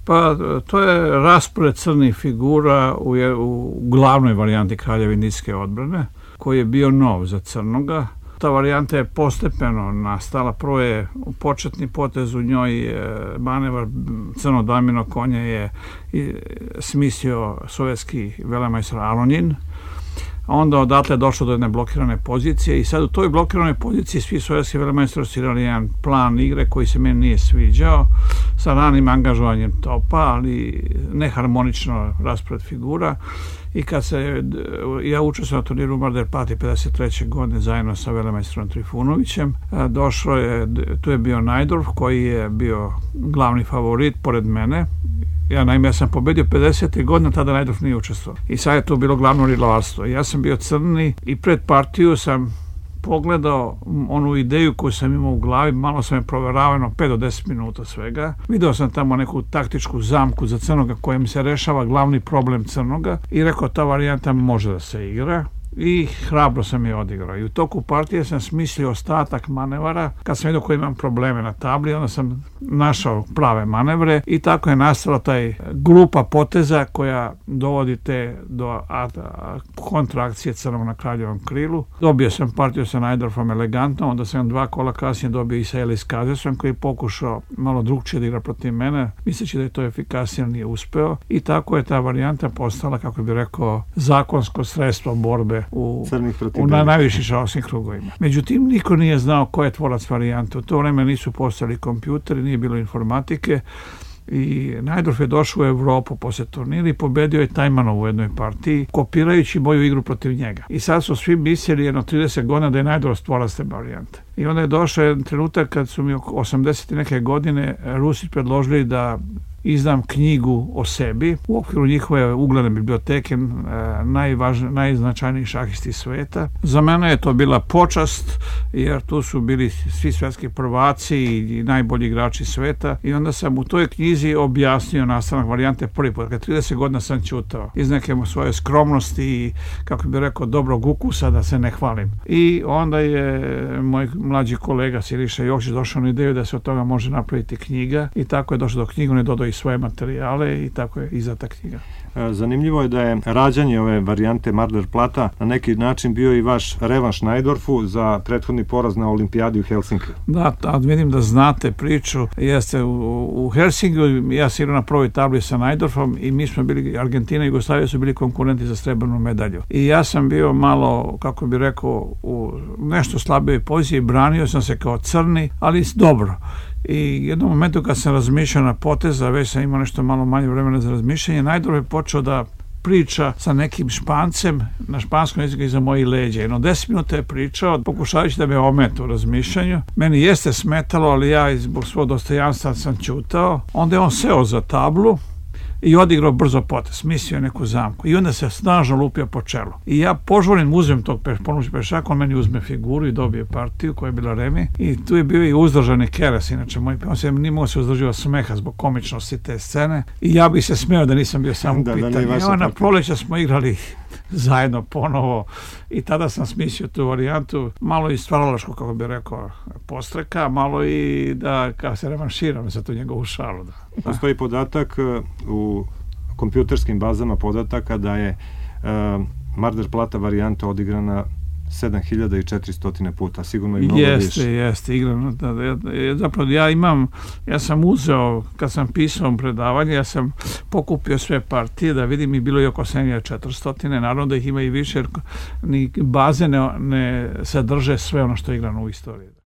Pa to je raspored crnih figura u glavnoj varijanti Kraljeve indijske odbrane, koji je bio nov za crnoga. Ta varijanta je postepeno nastala. Prvo je početni potez u njoj, manevar crno dvamino konje je smislio sovjetski velemajstor Alonjin. Onda odatle je došlo do jedne blokirane pozicije i sad u toj blokiranoj poziciji svi sovjetski velemajstori su imali jedan plan igre koji se meni nije sviđao, sa ranim angažovanjem topa, ali neharmonično raspored figura. I kad ja učestvovao na turniru u Mar del Plati 53. godine zajedno sa velemajstorom Trifunovićem, tu je bio Najdorf koji je bio glavni favorit pored mene. Ja sam pobedio 50. godine, tada Najdorf nije učestvovao. I sad je to bilo glavno rivalstvo. Ja sam bio crni i pred partiju sam pogledao onu ideju koju sam imao u glavi, malo sam je proveravano 5 do 10 minuta svega. Video sam tamo neku taktičku zamku za crnoga kojem se rešava glavni problem crnoga i rekao ta varijanta može da se igra. I hrabro sam je odigrao. I u toku partije sam smislio ostatak manevara. Kad sam vidio koji imam probleme na tabli, onda sam našao prave manevre i tako je nastala taj grupa poteza koja dovodi te do kontrakcije crnog na kraljevom krilu. Dobio sam partiju sa Najdorfom elegantno, onda sam 2 kola kasnije dobio i sa Elis Kazesom koji je pokušao malo drugčije da igra protiv mene, misleći da je to efikasnije, ali nije uspeo. I tako je ta varijanta postala, kako bih rekao, zakonsko sredstvo borbe na najvišim šahovskim krugovima. Međutim, niko nije znao ko je tvorac varijante. U to vreme nisu postojali kompjuteri, nije bilo informatike i Najdorf je došao u Evropu posle turnira i pobedio je Tajmanov u jednoj partiji, kopirajući moju igru protiv njega. I sad su svi mislili jedno 30 godina da je Najdorf tvorac te varijante. I onda je došao jedan trenutak kad su mi oko 80. neke godine Rusi predložili da izdam knjigu o sebi u okviru njihove ugledne biblioteke najznačajnijih šahisti sveta. Za mene je to bila počast jer tu su bili svi svetski prvaci i najbolji igrači sveta i onda sam u toj knjizi objasnio nastanak varijante prvi put. Kad 30 godina sam ćutao iz neke svoje skromnosti i, kako bih rekao, dobrog ukusa, da se ne hvalim. I onda je moj mlađi kolega Siliša Jokić došao na ideju da se od toga može napraviti knjiga i tako je došlo do knjigu, ne dodao i svoje materijale i tako je izdata knjiga. Zanimljivo je da je rađanje ove varijante Mar del Plata na neki način bio i vaš revanš Najdorfu za prethodni poraz na olimpijadi u Helsinkiju. Da, vidim da znate priču. Jeste u Helsinkiju, ja sam igrao na prvoj tabli sa Najdorfom i mi smo bili, Argentina i Jugoslavija su bili konkurenti za srebrnu medalju. I ja sam bio malo, kako bih rekao, u nešto slabijoj poziciji, branio sam se kao crni, ali dobro. I jednom momentu kad sam razmišljao na poteza, već sam imao nešto malo manje vremena za razmišljanje, Najdorf je počeo da priča sa nekim Špancem na španskom jeziku iza mojih leđa. Jedno 10 minuta je pričao, pokušavajući da me ometa u razmišljanju. Meni jeste smetalo, ali ja zbog svog dostojanstva sam ćutao. Onda je on seo za tablu i odigrao brzo potez, mislio neku zamku i onda se snažno lupio po čelu. I ja požurim, uzmem tog pešaka, on meni uzme figuru i dobije partiju koja je bila remi i tu je bio i uzdržani Keres, inače on se nije mogao se uzdrživao smeha zbog komičnosti te scene i ja bih se smeo da nisam bio sam u pitanju. Na proleća smo igrali zajedno ponovo i tada sam smislio tu varijantu, malo i stvaralačko, kako bih rekao, postreka, malo i da kada se revanširam za tu njegovu šalu. Postoji podatak u kompjuterskim bazama podataka da je Mar del Plata varijanta odigrana 7400 puta, sigurno i mnogo više. Jeste, igrano. Zapravo ja sam uzeo, kad sam pisao predavanje, ja sam pokupio sve partije da vidim i bilo je oko 7400, naravno da ih ima i više jer ni baze ne sadrže sve ono što je igrano u istoriji.